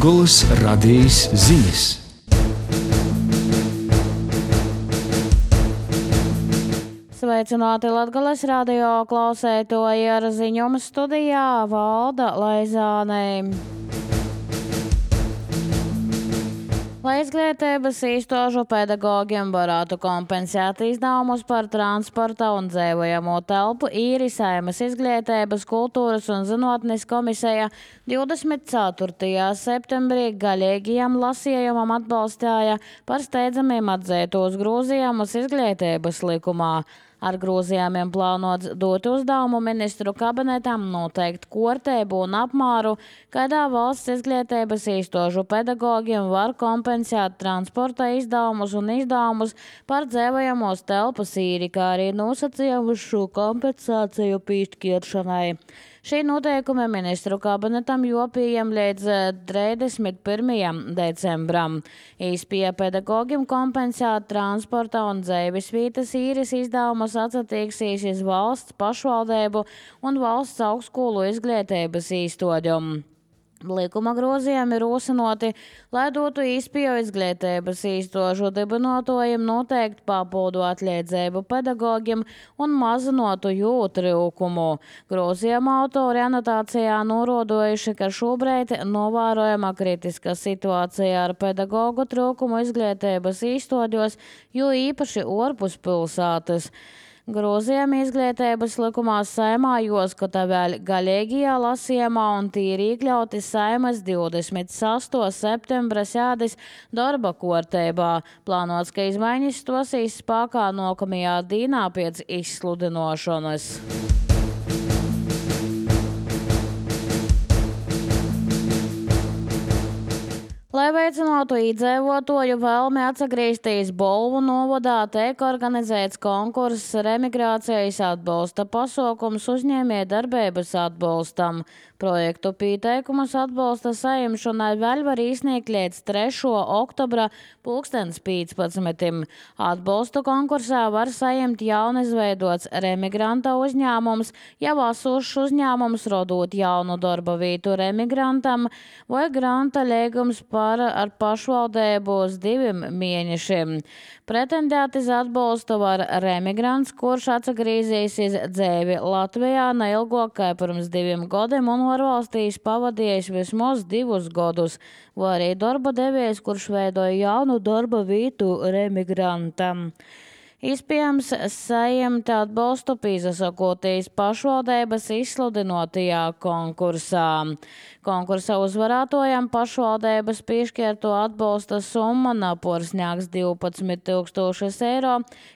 Latgolas radijas ziņas. Sveicināti Latgolas radio klausētoji, ar ziņumu studijā Valda Laizāne. Lai izglītības iestāžu pedagogiem varētu kompensēt izdevumus par transporta un dzīvojamo telpu, īri Saeimas Izglītības, kultūras un zinātnes komisija 24. septembrī galīgajam lasījumam atbalstīja par steidzamiem atzītos grozījumus izglītības likumā. Ar grozījumiem plānots dot uzdevumu ministru kabinetam noteikt kārtību un apmēru, kādā valsts izglītības iestāžu pedagogiem var kompensēt transporta izdevumus un izdevumus par dzīvojamos telpas īri, kā arī nosacījumus šo kompensāciju piešķiršanai. Šī noteikuma ministru kabinetam jopījam līdz 31. decembram. Īspēja pedagogiem kompensēt transporta un dzīvesvietas īres izdevumus atsatieksīsies valsts pašvaldību un valsts augstskolu izglītības iestāžu. Likuma grozījumi ir rosinoti, lai dotu īspēju izglītības iestāžu dibinātājiem noteikt papildu atliedzību pedagogiem un mazinotu jū trūkumu. Grozījuma autori anotācijā norādojuši, ka šobrīd novērojama kritiska situācija ar pedagogu trūkumu izglītības iestāžos, jo īpaši ārpus pilsētas. Grozījumi izglītības likumā Saeimā jāskata vēl galīgajā lasījumā un tie ir iekļauti Saeimas 28. septembra sēdes darba kārtībā. Plānots, ka izmaiņas stosīs spēkā nākamajā dienā pēc izsludināšanas. Lai veicinātu iedzīvotāju vēlmi atgriezties Bolvu novadā, tiek organizēts konkurss remigrācijas atbalsta pasākums uzņēmējdarbības atbalstam. Projektu pieteikumus atbalsta saimšanai vēl var iesniegt līdz 3. oktobra 2015. Atbalstu konkursā var saņemt jaunizveidots remigranta uzņēmums, jau esošs uzņēmums rodot jaunu darba vietu remigrantam vai granta līgums ar pašvaldību uz 2 mēnešiem. Pretendēt uz atbalstu var remigrants, kurš atgriezīsies dzīvi Latvijā neilgāk kā pirms 2 gadiem un var valstīs pavadījis vismaz 2 gadus, vai arī darba devējs, kurš veidoja jaunu darba vietu remigrantam. Iespējams, saņemt atbalstu piesakoties pašvaldības izsludinātajā konkursā. Konkursa uzvarētājam pašvaldības piešķirto atbalsta summa naporsņāks 12 000 eiro,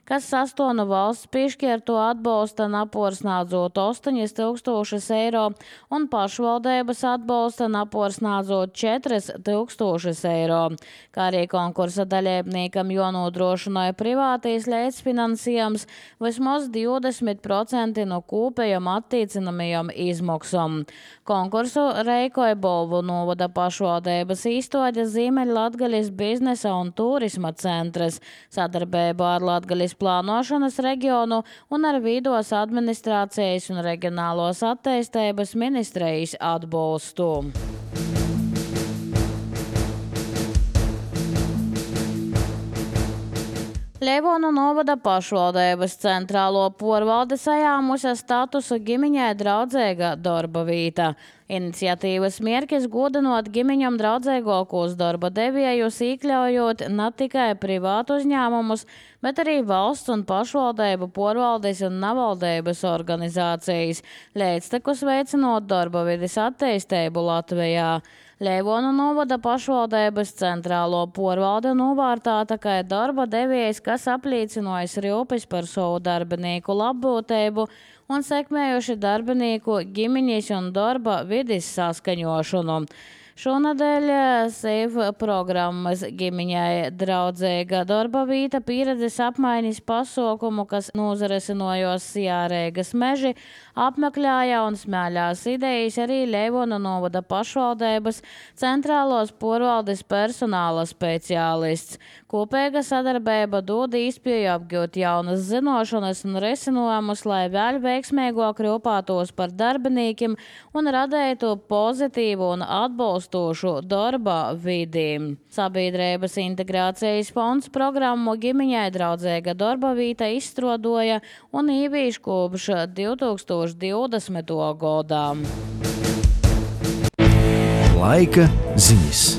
kas sastāv valsts piešķirto atbalsta naporsnādzot 8 000 eiro un pašvaldības atbalsta naporsnādzot 4 000 eiro. Kā arī konkursa dalībniekam jānodrošināja privātīs līdzfinansējums vismaz 20% no kopējām attiecinamajām izmaksām. Konkursu rīkoja Bolvu novada pašvaldības iestāde Ziemeļlatgaļas biznesa un turisma centrs sadarbībā ar Latgaļas plānošanas reģionu un ar Vidos administrācijas un reģionālos attīstības ministrijas atbalstu. Leivonu novada pašvaldības centrālo porvaldi sajāmusi statusu ģimeņai draudzīga darba vieta. Iniciatīvas mērķis godinot ģimeņam draudzīgākos darba devējus, iekļaujot ne tikai privātu uzņēmumus, bet arī valsts un pašvaldību porvaldes un nevaldības organizācijas, līdztekus veicinot darba vides attīstību Latvijā. Leivonu novada pašvaldības centrālo porvalde novērtēta kā darba devējs, kas apliecinājis rūpes par savu darbinieku labbūtību un sekmējuši darbinieku ģimeņas un darba vides saskaņošanu. Šonadēļ SEIV programmas ģimeņai draudzīga darba vieta pieredzes apmaiņas pasaukumu, kas nozaresinojos Sijārēgas meži, apmeklēja un smēļās idejas arī Leivonu novada pašvaldības centrālos porvaldes personāla speciālists. Kopīga sadarbība dod iespēju apgūt jaunas zinošanas un risinājumus, lai vēl veiksmīgāk rūpētos par darbiniekiem un radītu pozitīvu un atbalstu atbilstošu darba vidi. Sabiedrības integrācijas fonds programmu ģimeņai draudzīga darba vīta izstrādoja un īvīš kopš 2020. gadā. Laika ziņas.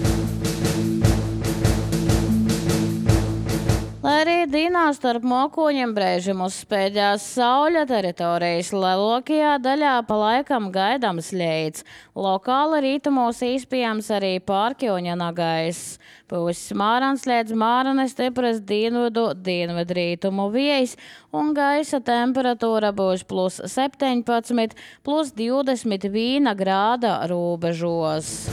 Lai arī dienā starp mokoņiem brēžam uzspēļās sauļa teritorijas, lielākajā daļā pa laikam gaidams ļeids. Lokāli rītumos īspējams arī pārkjoņa nagais. Pūs smārans līdz mārane stipras dienvidrītumu vējs un gaisa temperatūra būs +17, +21 grāda robežos.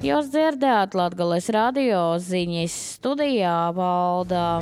Jūs dzirdējāt Latgales radio ziņas, studijā Valda.